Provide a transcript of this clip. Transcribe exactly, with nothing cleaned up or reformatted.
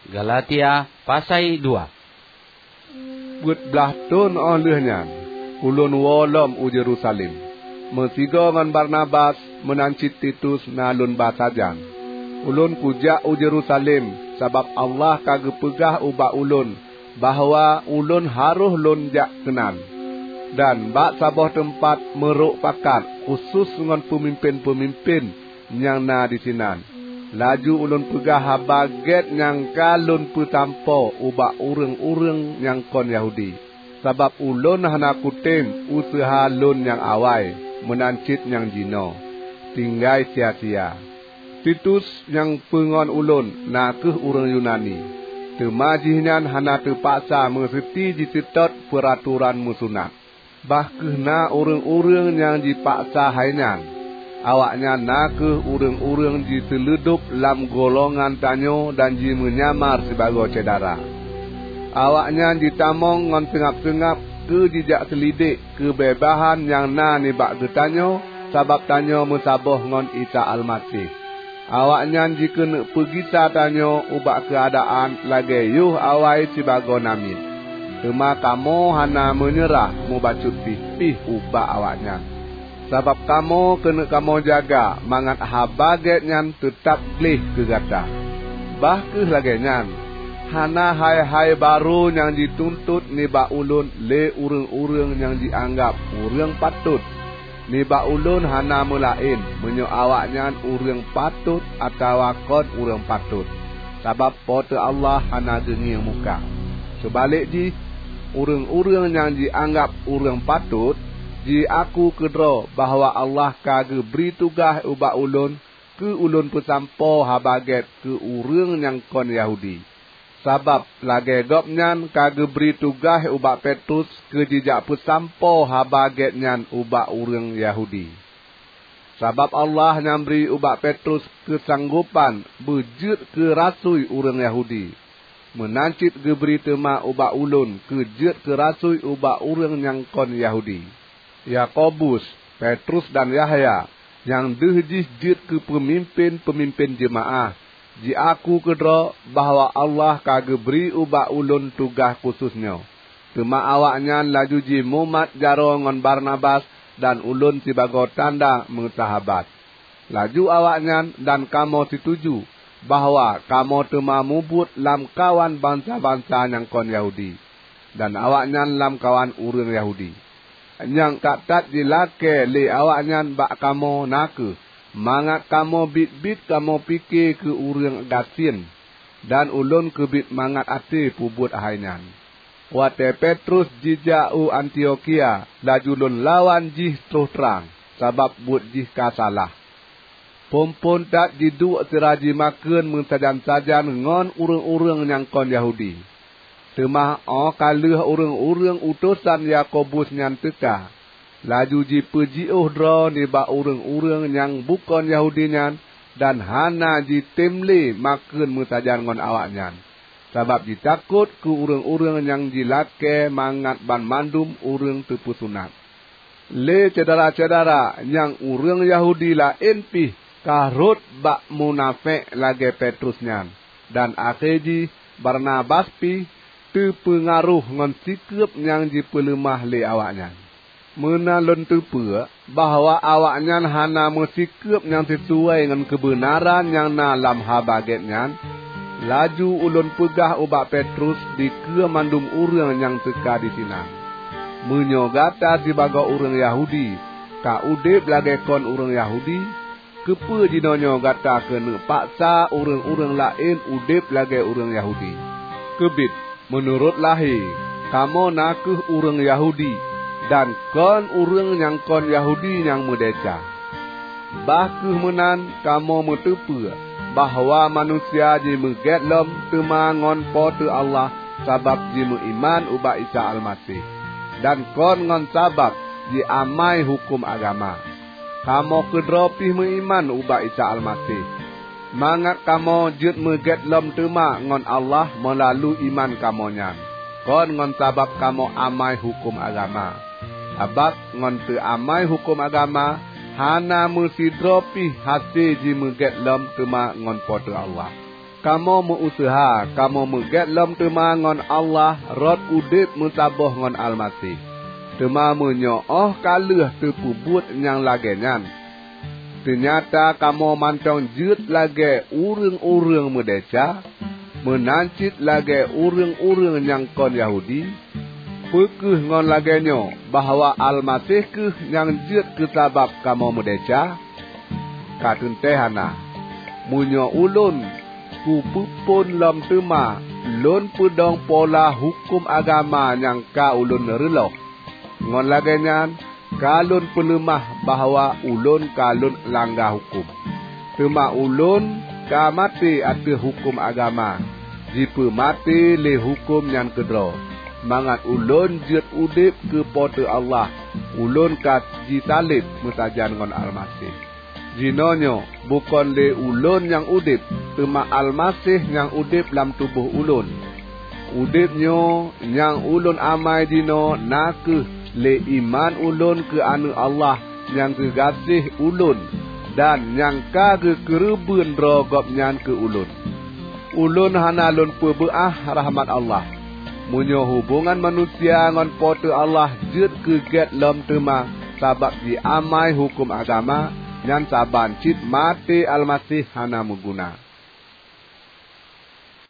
Galatia pasai dua. Peuet blaih thon óh lheueh nyan, ulôn woe lom u Yerusalem, meusigoe ngon Barnabas meunan cit Titus na lôn ba sajan. Ulôn kujak u Yerusalem sabab Allah ka geupeugah ubak ulôn bahwa ulôn harôh lôn jak keunan. Dan bak saboh teumpat meurok pakat khusos ngon peumimpén-peumimpén nyang na disinan. Laju ulôn peugah Haba Gét nyang ka lôn peusampoe ubak ureuëng-ureuëng nyang kon Yahudi, sabab ulôn hana kutem useuha lôn nyang awai meunan cit nyang jinoe, tinggai sia-sia. Titus nyang peungon ulôn na kheueh ureuëng Yunani, teuma jihnyan hana teupaksa meuseuti jiseutôt peuratoran meusunat. Bah kheueh na ureuëng-ureuëng nyang jipaksa hai nyan. Awaknyan na kheueh ureuëng-ureuëng jiteuleudob lam golongan tanyoe dan jimeunyamar sibagoe syedara. Awaknyan jitamong ngon seungab-seungab keu jijak seulidek keubeubahan nyang na nibak geutanyoe sabab tanyoe meusaboh ngon Isa Almaseh. Awaknyan jikeuneuk peugisa tanyoe ubak keuadaan lagée yoh awai sibagoe namiet. Teuma kamoe hana meunyeurah mubacut pih-pih ubak awaknyan, sabab kamoe keuneuk kamoe jaga mangat Haba Gét nyan teutab gleh keu gata. Bah kheueh lagée nyan, hana hai-hai barô nyang jituntot nibak ulôn lé ureuëng-ureuëng nyang jianggab ureuëng patot. Nibak ulôn hana meulaén meunyoe awaknyan ureuëng patot atawa kon ureuëng patot, sabab Po teu Allah hana geungieng muka. Seubalek jih, ureuëng-ureuëng nyang jianggab ureuëng patot, jiaku keudroe bahwa Allah ka geubri tugaih ubak ulôn keu ulôn peusampoe Haba Gét keu ureuëng nyang kon Yahudi. Sabab lagée gobnyan ka geubri tugaih ubak Petrus keu jijak peusampoe Haba Gét nyan ubak ureuëng Yahudi. Sabab Allah nyang bri ubak Petrus keusanggopan beujeuet keu rasui ureuëng Yahudi, meunan cit geubri teuma ubak ulôn keu jeuet keu rasui ubak ureuëng nyang kon Yahudi. Yakobus, Petrus dan Yahya, nyang deuh jih jeuet keu peumimpén-peumimpén jeumaáh, jiaku keudroe bahwa Allah ka geubri ubak ulôn tugaih khusos nyoe. Teuma awaknyan laju jimumat jaroe ngon Barnabas dan ulôn sibagoe tanda meusahabat. Laju awaknyan dan kamoe situju bahwa kamoe teuma mubuet lamkawan bansa-bansa nyang kon Yahudi, dan awaknyan lamkawan ureuëng Yahudi. Nyang that-that jilakée lé awaknyan bak kamoe na kheueh mangat kamoe biet-biet kamoe pike keu ureuëng gasien, dan ulôn keubiet mangat até peubuet hai nyan. Watée Petrus jijak u Antiokhia, laju lôn lawan jih troh trang, sabab buet jih ka salah. Phon-phon that jiduek sira jimakheun meusajan-sajan ngon ureuëng-ureuëng nyang kon Yahudi. Teuma óh ka lheueh ureuëng-ureuëng utosan Yakobus nyan teuka, laju jipeujiôh droe nibak ureuëng-ureuëng nyang bukon Yahudi nyan dan hana jitem lé makheun meusajan ngon awaknyan, sabab jitakot keu ureuëng-ureuëng nyang jilakée mangat banmandum ureuëng teupeusunat. Lé syedara-syedara nyang ureuëng Yahudi laén pih ka rhot bak munafék lagée Petrus nyan, dan akhé jih Barnabas pih teupeungaroh ngon sikeueb nyang jipeuleumah lé awaknyan. Meunan lôn teupeue bahwa awaknyan hana meusikeueb nyang sisuai ngon keubeunaran nyang na lam Haba Gét nyan, laju ulôn peugah ubak Petrus dikeue mandum ureuëng nyang teuka disinan, "Meunyoe gata sibagoe ureuëng Yahudi ka udeb lagée kon ureuëng Yahudi, keupeue jinoenyoe gata keuneuk paksa ureuëng-ureuëng laén udeb lagée ureuëng Yahudi? Keubiet, meunurot lahé, kamoe na kheueh ureuëng Yahudi, dan kon ureuëng nyang kon Yahudi nyang meudesya. Bah kheueh meunan kamoe meuteupeue bahwa manusia jimeugét lom teuma ngon Po teu Allah sabab jimeuiman ubak Isa Almaseh, dan kon ngon sabab jiamai huköm agama. Kamoe keudroe pih meuiman ubak Isa Almaseh, mangat kamoe jeuet meugét lom teuma ngon Allah meulalu iman kamoe nyan, kon ngon sabab kamoe amai huköm agama. Sabab ngon teuamai huköm agama hana meusidroe pih hase jimeugét lom teuma ngon Po teu Allah." Kamoe meu-useuha kamoe meugét lom teuma ngon Allah rot udeb meusaboh ngon Almaseh. Teuma meunyoe óh ka lheueh teupeubuet nyang lagée nyan, teunyata kamoe mantong jeuet lagée ureuëng-ureuëng meudesya, meunan cit lagée ureuëng-ureuëng nyang kon Yahudi, peu kheueh ngon lagée nyoe bahwa Almaseh kheueh nyang jeuet keusabab kamoe meudesya? Ka teuntée hana! Meunyoe ulôn kupeuphon lom teuma lôn peudong pola huköm agama nyang ka ulôn reuloh, ngon lagée nyan ka lôn peuleumah bahwa ulôn ka lôn langga huköm. Teuma ulôn ka maté ateueh huköm agama, jipeumaté lé huköm nyan keudroe, mangat ulôn jeuet udeb keu Po teu Allah. Ulôn ka jisaleb meusajan ngon Almaseh. Jinoenyoe bukon lé ulôn nyang udeb, teuma Almaseh nyang udeb lam tuboh ulôn. Udeb nyoe nyang ulôn amai jinoe na kheueh lé iman ulôn keu Aneuëk Allah nyang geugaséh ulôn dan nyang ka geukeureubeuen droe Gobnyan keu ulôn. Ulôn hana lôn peubeuáh rahmat Allah. Meunyoe hubongan manusia ngon Po teu Allah jeuet keu gét lom teuma sabab jiamai huköm agama, nyan saban cit maté Almaseh hana meuguna.